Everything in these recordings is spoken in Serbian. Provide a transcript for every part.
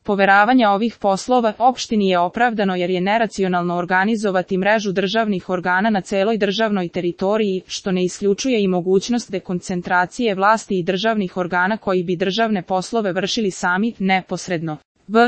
poveravanja ovih poslova opštini je opravdano jer je neracionalno organizovati mrežu državnih organa na celoj državnoj teritoriji, što ne isključuje i mogućnost dekoncentracije vlasti i državnih organa koji bi državne poslove vršili sami, neposredno.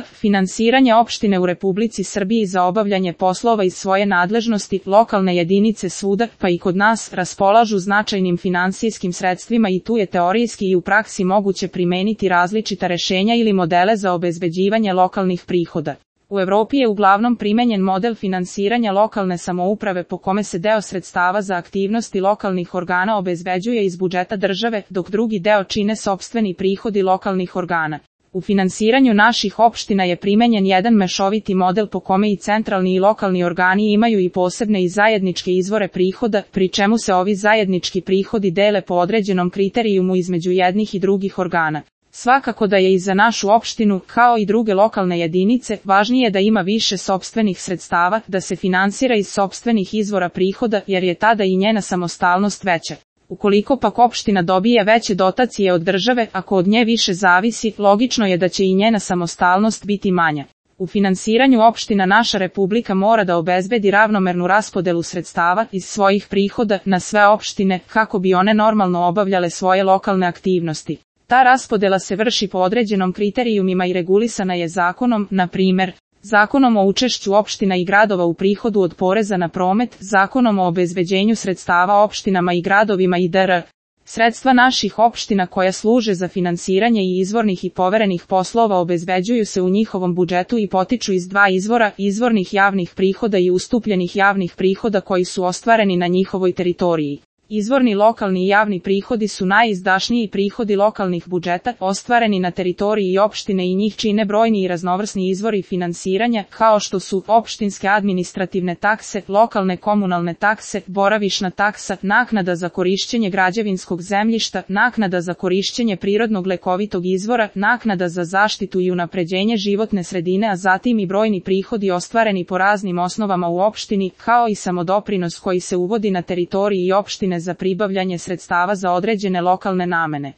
Finansiranje opštine u Republici Srbiji za obavljanje poslova iz svoje nadležnosti, lokalne jedinice svuda, pa i kod nas, raspolažu značajnim finansijskim sredstvima i tu je teorijski i u praksi moguće primeniti različita rešenja ili modele za obezbeđivanje lokalnih prihoda. U Evropi je uglavnom primenjen model finansiranja lokalne samouprave po kome se deo sredstava za aktivnosti lokalnih organa obezbeđuje iz budžeta države, dok drugi deo čine sopstveni prihodi lokalnih organa. U finansiranju naših opština je primenjen jedan mešoviti model po kome i centralni i lokalni organi imaju i posebne i zajedničke izvore prihoda, pri čemu se ovi zajednički prihodi dele po određenom kriterijumu između jednih i drugih organa. Svakako da je i za našu opštinu, kao i druge lokalne jedinice, važnije da ima više sopstvenih sredstava, da se finansira iz sopstvenih izvora prihoda, jer je tada i njena samostalnost veća. Ukoliko pak opština dobije veće dotacije od države, ako od nje više zavisi, logično je da će i njena samostalnost biti manja. U finansiranju opština naša Republika mora da obezbedi ravnomernu raspodelu sredstava iz svojih prihoda na sve opštine, kako bi one normalno obavljale svoje lokalne aktivnosti. Ta raspodela se vrši po određenom kriterijumima i regulisana je zakonom, na primer, Zakonom o učešću opština i gradova u prihodu od poreza na promet, Zakonom o obezbeđenju sredstava opštinama i gradovima i dr. Sredstva naših opština koja služe za finansiranje i izvornih i poverenih poslova obezbeđuju se u njihovom budžetu i potiču iz dva izvora, izvornih javnih prihoda i ustupljenih javnih prihoda koji su ostvareni na njihovoj teritoriji. Izvorni lokalni i javni prihodi su najizdašniji prihodi lokalnih budžeta, ostvareni na teritoriji opštine i njih čine brojni i raznovrsni izvori finansiranja, kao što su opštinske administrativne takse, lokalne komunalne takse, boravišna taksa, naknada za korišćenje građevinskog zemljišta, naknada za korišćenje prirodnog lekovitog izvora, naknada za zaštitu i unapređenje životne sredine, a zatim i brojni prihodi ostvareni po raznim osnovama u opštini, kao i samodoprinos koji se uvodi na teritoriji opštine za pribavljanje sredstava za određene lokalne namene.